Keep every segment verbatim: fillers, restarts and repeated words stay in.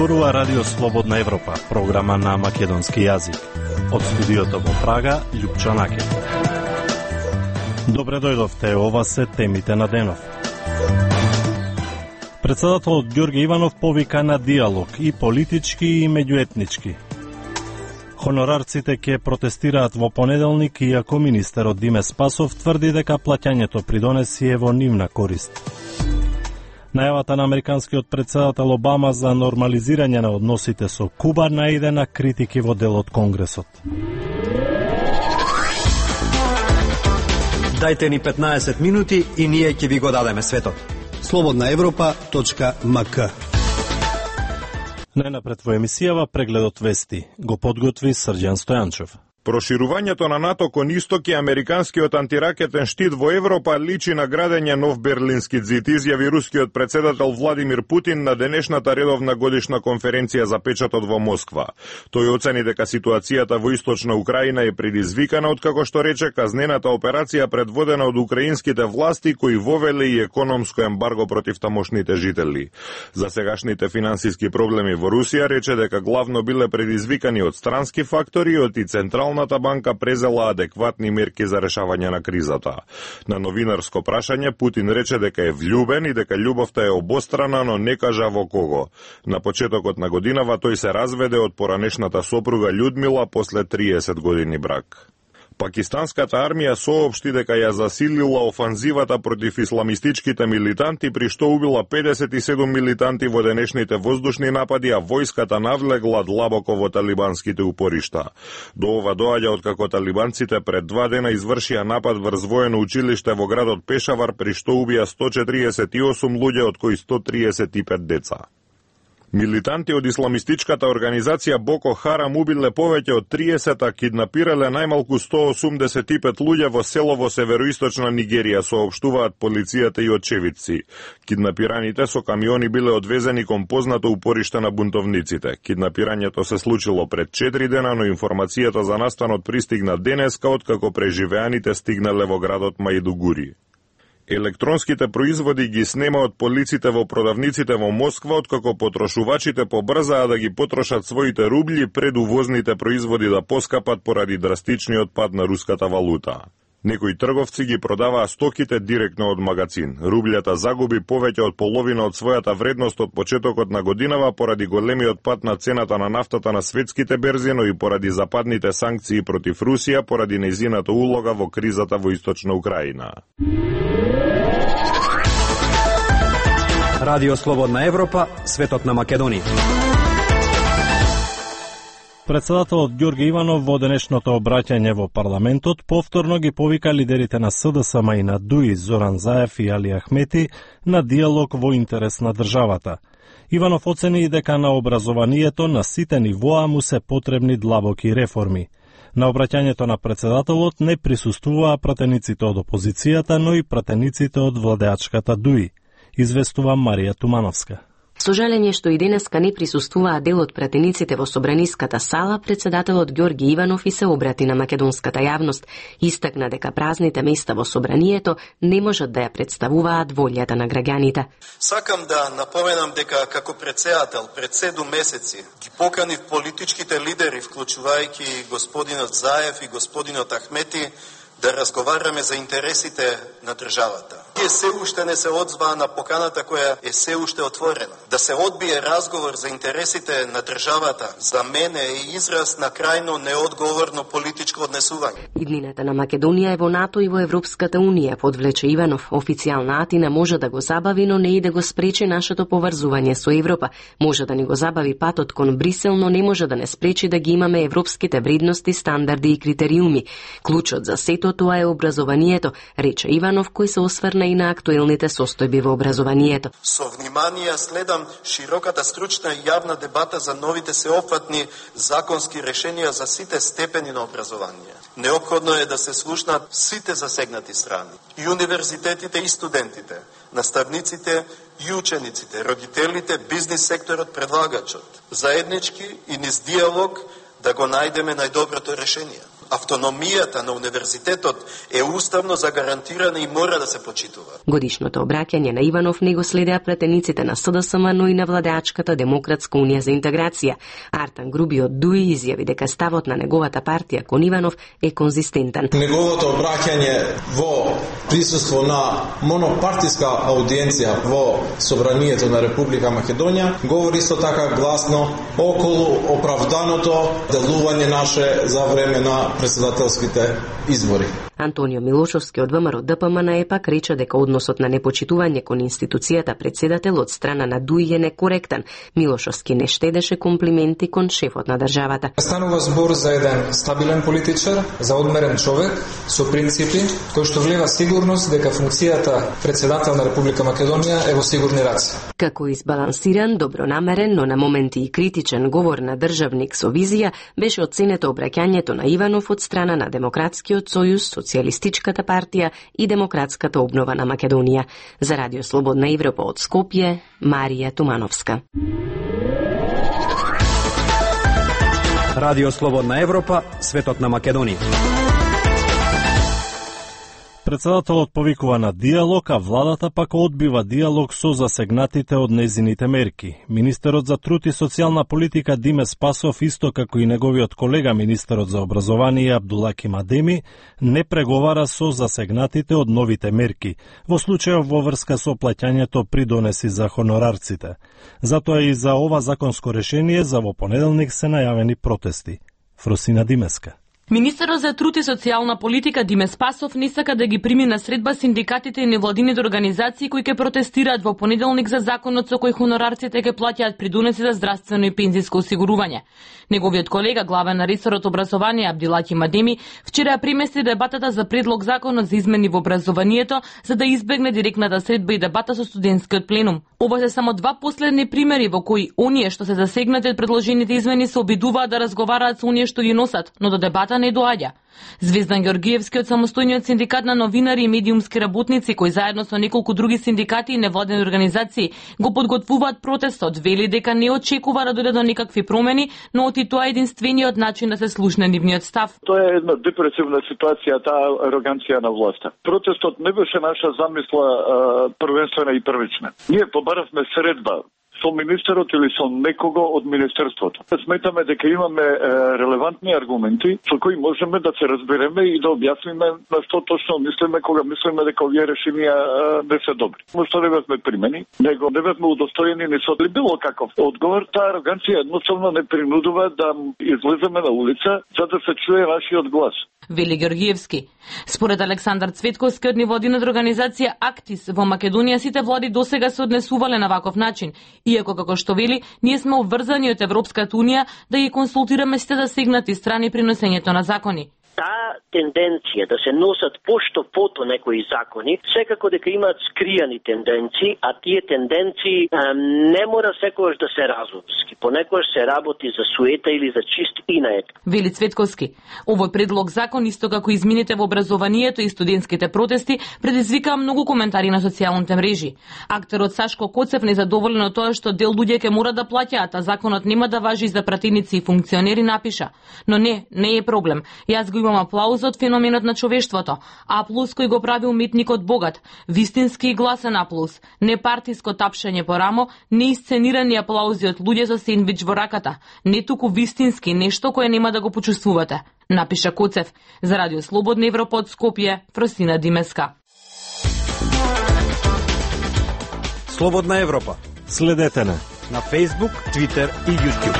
Зборува Радио Слободна Европа, програма на македонски јазик. Од студиото во Прага, Љупчо Накев. Добре дојдовте, ова се темите на денов. Председателот Ѓорѓе Иванов повика на диалог и политички и меѓуетнички. Хонорарците ќе протестираат во понеделник, иако министерот Диме Спасов тврди дека плаќањето придонеси е во нивна корист. Најавата на американскиот председател Обама за нормализирање на односите со Куба наиде на критики во дел од Конгресот. Дајте ни петнаесет минути и ние ќе ви го дадеме светот. слободна европа точка ем ка. Најнапред во емисијава прегледот вести го подготви Срđan Стојанчев. Проширувањето на НАТО кон исток и американскиот антиракетен штит во Европа личи на градење нов берлински ѕид, изјави рускиот председател Владимир Путин на денешната редовна годишна конференција за печатот во Москва. Тој оцени дека ситуацијата во источна Украина е предизвикана, откако што рече казнената операција предводена од украинските власти кои вовеле и економско ембарго против тамошните жители. За сегашните финансиски проблеми во Русија рече дека главно биле предизвикани од странски фактори, од и централ Централната банка презела адекватни мерки за решавање на кризата. На новинарско прашање Путин рече дека е влюбен и дека љубовта е обострана, но не кажа во кого. На почетокот на годинава тој се разведе од поранешната сопруга Људмила после триесет години брак. Пакистанската армија соопшти дека ја засилила офанзивата против исламистичките милитанти, при што убила педесет и седум милитанти во денешните воздушни напади, а војската навлегла длабоко во талибанските упоришта. До ова доаѓа откако талибанците пред два дена извршија напад врз воено училиште во градот Пешавар, при што убија сто четиридесет и осум луѓе, од кои сто триесет и пет деца. Милитанти од исламистичката организација Боко Харам убиле повеќе од триесет, а киднапирале најмалку сто осумдесет и пет луѓе во село во североисточна Нигерија, соопштуваат полицијата и очевидци. Киднапираните со камиони биле одвезени кон познато упориште на бунтовниците. Киднапирањето се случило пред четири дена, но информацијата за настанот пристигна денеска, откако преживеаните стигнале во градот Маидугури. Електронските производи ги снемаат полиците во продавниците во Москва, откако потрошувачите побрзаа да ги потрошат своите рубли пред увозните производи да поскапат поради драстичниот пад на руската валута. Некои трговци ги продаваа стоките директно од магазин. Рублјата загуби повеќе од половина од својата вредност од почетокот на годинава поради големиот пад на цената на нафтата на светските берзи, но и поради западните санкции против Русија поради нејзината улога во кризата во источна Украина. Радио Слободна Европа, светот на Македонија. Председателот Ѓорѓе Иванов во денешното обраќање во парламентот повторно ги повика лидерите на С Д С М и на ДУИ Зоран Заев и Али Ахмети на диалог во интерес на државата. Иванов оцени и дека на образованието на сите нивоа му се потребни длабоки реформи. На обраќањето на председателот не присуствуваа пратениците од опозицијата, но и пратениците од владеачката ДУИ, известува Марија Тумановска. Со жалење што и денеска не присуствуваа дел од пратениците во собраниската сала, председателот Ѓорѓе Иванов и се обрати на македонската јавност. Истакна дека празните места во собранието не можат да ја представуваат волјата на граѓаните. Сакам да напоменам дека како председател пред седум месеци ги поканив политичките лидери, вклучувајќи господинот Заев и господинот Ахмети, да разговараме за интересите на државата. Тие се уште не се одзваа на поканата која е се уште отворена. Да се одбие разговор за интересите на државата, за мене е израз на крајно неодговорно политичко однесување. Иднината на Македонија е во НАТО и во Европската Унија, подвлече Иванов. Официјална Атина може да го забави, но не и да го спречи нашето поврзување со Европа. Може да ни го забави патот кон Брисел, но не може да не спречи да ги имаме европските вредности, стандарди и критериуми. Клучот за сето тоа е образованието, рече Иванов, кој се осврна и на актуелните состојби во образованието. Со внимание следам широката стручна и јавна дебата за новите сеопфатни законски решенија за сите степени на образование. Неопходно е да се слушнат сите засегнати страни, и универзитетите и студентите, наставниците и учениците, родителите, бизнис секторот, предлагачот. Заеднички и низ диалог да го најдеме најдоброто решение. Автономијата на универзитетот е уставно загарантирана и мора да се почитува. Годишното обраќање на Иванов не го следеа пратениците на СДСМ, но и на владеачката Демократска унија за интеграција. Артан Груби од ДУИ изјави дека ставот на неговата партија кон Иванов е конзистентен. Неговото обраќање во присуство на монопартиска аудиенција во Собранието на Република Македонија говори исто така гласно околу оправданото делување наше за време на председателските избори. Антонио Милошовски од ВМРО Д П М Н Е пак рече дека односот на непочитување кон институцијата председател од страна на ДУИ е некоректен. Милошовски не штедеше комплименти кон шефот на државата. Станува збор за еден стабилен политичар, за одмерен човек со принципи, кој што влива сигурност дека функцијата председател на Република Македонија е во сигурни раце. Како избалансиран, добронамерен, но на моменти и критичен говор на државник со визија беше оценето обраќањето на Иванов од страна на Демократскиот сојуз, Социјалистичката партија и Демократската обнова на Македонија. За Радио Слободна Европа од Скопје, Марија Тумановска. Радио Слободна Европа, светот на Македонија. Председателот повикува на диалог, а владата пак одбива диалог со засегнатите од незините мерки. Министерот за труд и социјална политика Диме Спасов, исто како и неговиот колега министерот за образование Абдулаки Мадеми, не преговара со засегнатите од новите мерки, во случајов во врска со плаќањето придонеси за хонорарците. Затоа и за ова законско решение за во понеделник се најавени протести. Фросина Димеска. Министерот за труд и социјална политика Диме Спасов не сака да ги прими на средба синдикатите и невладините организации кои ќе протестираат во понеделник за законот со кој хонорарците ќе плаќаат придонеси за здравствено и пензиско осигурување. Неговиот колега, главен на ресорот образование Абдулаки Мадеми, вчера премести дебатата за предлог законот за измени во образованието за да избегне директната средба и дебата со студентскиот пленум. Ова се само два последни примери во кои оние што се засегнати од предложените измени се обидуваат да разговараат со оние што ги носат, но до дебата не доаѓа. Звездан Георгиевски од самостојниот синдикат на новинари и медиумски работници, кои заедно со неколку други синдикати и невладени организации го подготвуваат протестот, вели дека не очекува да дојде до никакви промени, но оти тоа е единствениот начин да се слушне нивниот став. Тоа е една депресивна ситуација, таа ароганција на власта. Протестот не беше наша замисла а, првенствена и првична. Ние побаравме средба со министерот или со некого од министерството. Сметаме дека имаме е, релевантни аргументи со кои можеме да се разбереме и да објасниме на што точно мислиме кога мислиме дека овие решенија е, не се добри. Мошто не бевме примени, него не бевме удостоени ни со било каков одговор. Таа ароганција едноставно не принудува да излеземе на улица за да се чуе нашиот глас. Вели Георгиевски. Според Александар Цветковски од невладината организација Актис во Македонија сите влади досега се однесувале на ваков начин, иако како што вели, ние сме обврзани од Европската унија да ги консултираме сите засегнати страни при носењето на закони. Таа тенденција да се носат пошто пото некои закони, секако дека имаат скријани тенденции, а тие тенденции а, не мора секогаш да се разумски. Понекогаш се работи за суета или за чист инает. Вели Цветковски. Овој предлог закон, исто како измените во образованието и студентските протести, предизвикаа многу коментари на социјалните мрежи. Актерот Сашко Коцев незадоволен од тоа што дел луѓе ќе мора да плаќаат, а законот нема да важи за пратеници и функционери, напиша. Но не, не е проблем. Јас го имам аплауз од феноменот на човештвото. Аплауз кој го прави уметникот богат. Вистински и гласен аплауз. Не партиско тапшање по рамо, не исценирани аплаузи од луѓе со сендвич во раката. Не туку вистински, нешто кое нема да го почувствувате. Напиша Коцев. За Радио Слободна Европа од Скопје, Фросина Димеска. Слободна Европа. Следете на на Facebook, Twitter и YouTube.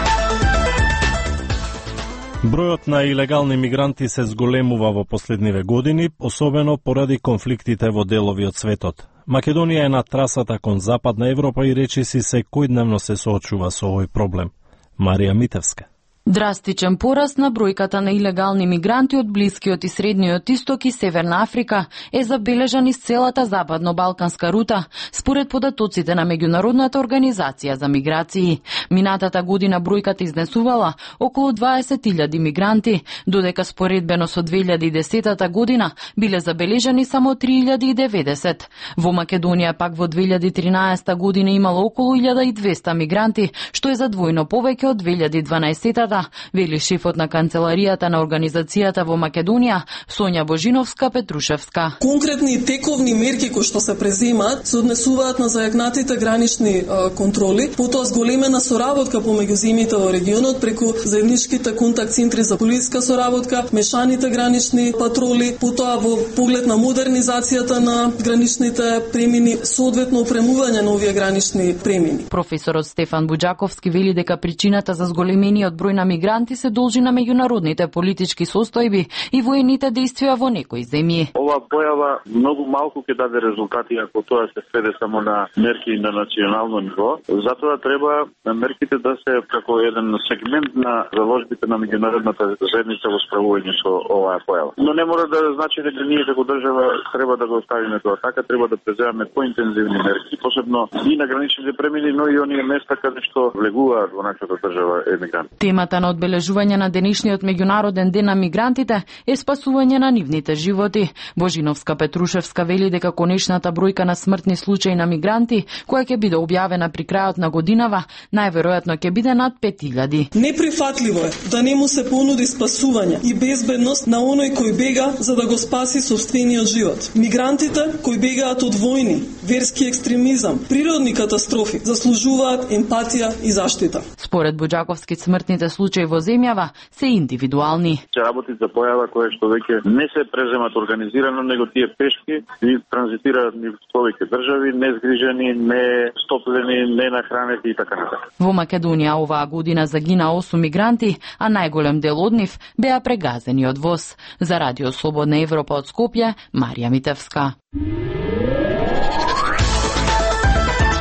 Бројот на илегални мигранти се зголемува во последниве години, особено поради конфликтите во делови од светот. Македонија е на трасата кон Западна Европа и речиси секојдневно се соочува со овој проблем. Марија Митевска. Драстичен пораст на бројката на илегални мигранти од Блискиот и Средниот Исток и Северна Африка е забележан из целата западно-балканска рута, според податоците на Меѓународната организација за миграции. Минатата година бројката изнесувала околу дваесет илјади мигранти, додека споредбено со две илјади и десетата година биле забележани само три илјади и деветдесет. Во Македонија пак во две илјади и тринаесета година имало околу илјада и двесте мигранти, што е за двојно повеќе од две илјади и дванаесетата, сила, вели шефот на канцеларијата на организацијата во Македонија, Сонја Божиновска-Петрушевска. Конкретни и тековни мерки кои што се преземаат се однесуваат на зајакнатите гранични е, контроли, потоа зголемена соработка помеѓу земјите во регионот преку заедничките контакт центри за полициска соработка, мешаните гранични патроли, потоа во поглед на модернизацијата на граничните премини, соодветно опремување на овие гранични премини. Професорот Стефан Буџаковски вели дека причината за зголемениот број на мигранти се должи на меѓународните политички состојби и воените действија во некои земји. Ова појава многу малку ќе даде резултати ако тоа се сведе само на мерки на национално ниво. Затоа треба мерките да се како еден сегмент на заложбите на меѓународната заедница во справување со оваа појава. Но не мора да значи дека ние како држава треба да го оставиме тоа така, треба да преземаме поинтензивни мерки, посебно и на граничните премини, но и оние места каде што влегуваат во нашата држава емигранти. Темата на одбележување на денешниот меѓународен ден на мигрантите е спасување на нивните животи. Божиновска-Петрушевска вели дека конечната бројка на смртни случаи на мигранти, која ќе биде објавена при крајот на годинава, најверојатно ќе биде над пет илјади. Неприфатливо е да не му се понуди спасување и безбедност на оној кој бега за да го спаси собствениот живот. Мигрантите кои бегаат од војни, верски екстремизам, природни катастрофи заслужуваат емпатија и заштита. Според Буџаковски, смртните случаи во земјава се индивидуални. Се работи за појава која што веќе не се преземат организирано, него тие пешки и транзитираат низ повеќе држави, незгрижени, не стоплени, не нахранети и така натаму. Во Македонија оваа година загина осум мигранти, а најголем дел од нив беа прегазени од воз. За Радио Слободна Европа од Скопје, Марија Митевска.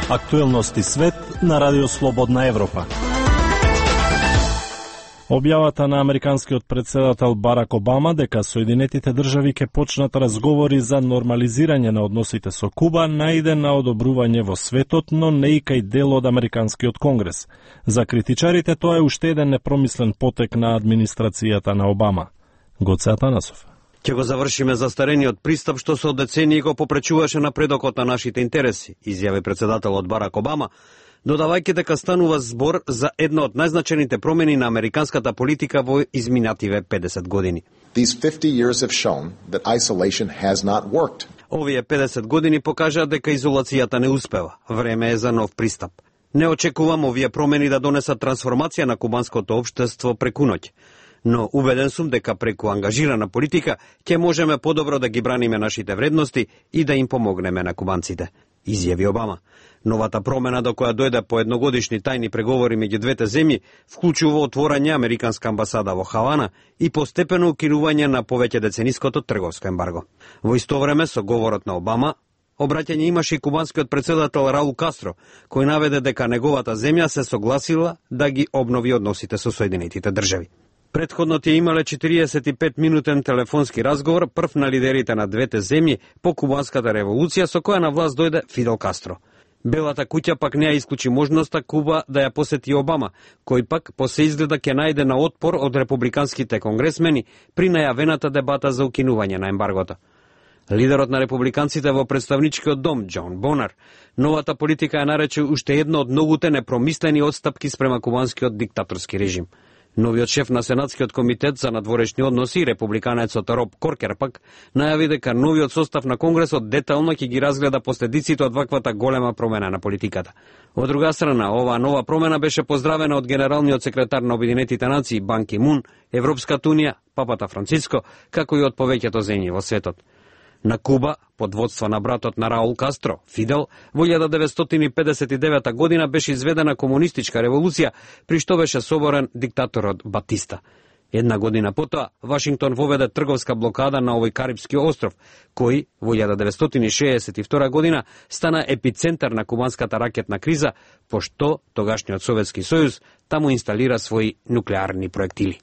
Актуелности свет на Радио Слободна Европа. Објавата на американскиот председател Барак Обама дека Соединетите држави ќе почнат разговори за нормализирање на односите со Куба најде на одобрување во светот, но не и кај дел од американскиот конгрес. За критичарите тоа е уште еден непромислен потек на администрацијата на Обама. Гоце Атанасов. Ќе го завршиме застарениот пристап што се од децении го попречуваше напредокот на нашите интереси, изјави председателот Барак Обама, додавајќи дека станува збор за една од најзначените промени на американската политика во изминативе педесет години. These fifty years have shown that isolation has not worked. Овие педесет години покажаа дека изолацијата не успева. Време е за нов пристап. Не очекувам овие промени да донесат трансформација на кубанското општество преку ноќ. Но убеден сум дека преку ангажирана политика ќе можеме подобро да ги браниме нашите вредности и да им помогнеме на кубанците, изјави Обама. Новата промена до која дојде по едногодишни тајни преговори меѓу двете земји вклучува отворање американска амбасада во Хавана и постепено укинување на повеќе децениското трговско ембарго. Во исто време со говорот на Обама обраќање имаше и кубанскиот председател Раул Кастро, кој наведе дека неговата земја се согласила да ги обнови односите со Соединетите држави. Предходно тие имале четириесет и пет минутен телефонски разговор прв на лидерите на двете земји по кубанската револуција со која на власт дојде Фидел Кастро. Белата куќа пак не ја исклучи можноста Куба да ја посети Обама, кој пак по се изгледа ќе најде на отпор од републиканските конгресмени при најавената дебата за укинување на ембаргото. Лидерот на републиканците во представничкиот дом, Џон Бонар, новата политика ја нарече уште една од многуте непромислени отстапки спрема кубанскиот диктаторски режим. Новиот шеф на Сенатскиот комитет за надворешни односи, републиканецот Роб Коркер пак, најави дека новиот состав на Конгресот детално ќе ги разгледа последиците од ваквата голема промена на политиката. Од друга страна, оваа нова промена беше поздравена од генералниот секретар на Обединетите нации Бан Ки Мун, Европската унија, Папата Франциско, како и од повеќето земји во светот. На Куба, под водство на братот на Раул Кастро, Фидел, во илјада деветстотини и педесет и девета година беше изведена комунистичка револуција, при што беше соборен диктаторот Батиста. Една година потоа, Вашингтон воведе трговска блокада на овој Карипски остров, кој во илјада деветстотини шеесет и втора година стана епицентар на кубанската ракетна криза, пошто тогашниот Советски сојуз таму инсталира своји нуклеарни проектили.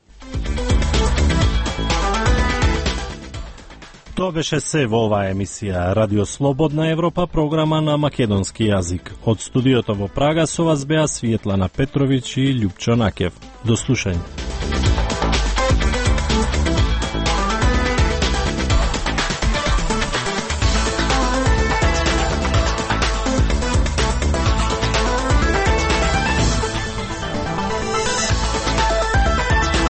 Тоа беше се во оваа емисија Радио Слободна Европа, програма на македонски јазик. Од студиото во Прага со вас беа Светлана Петровиќ и Љупчо Накев. До слушање.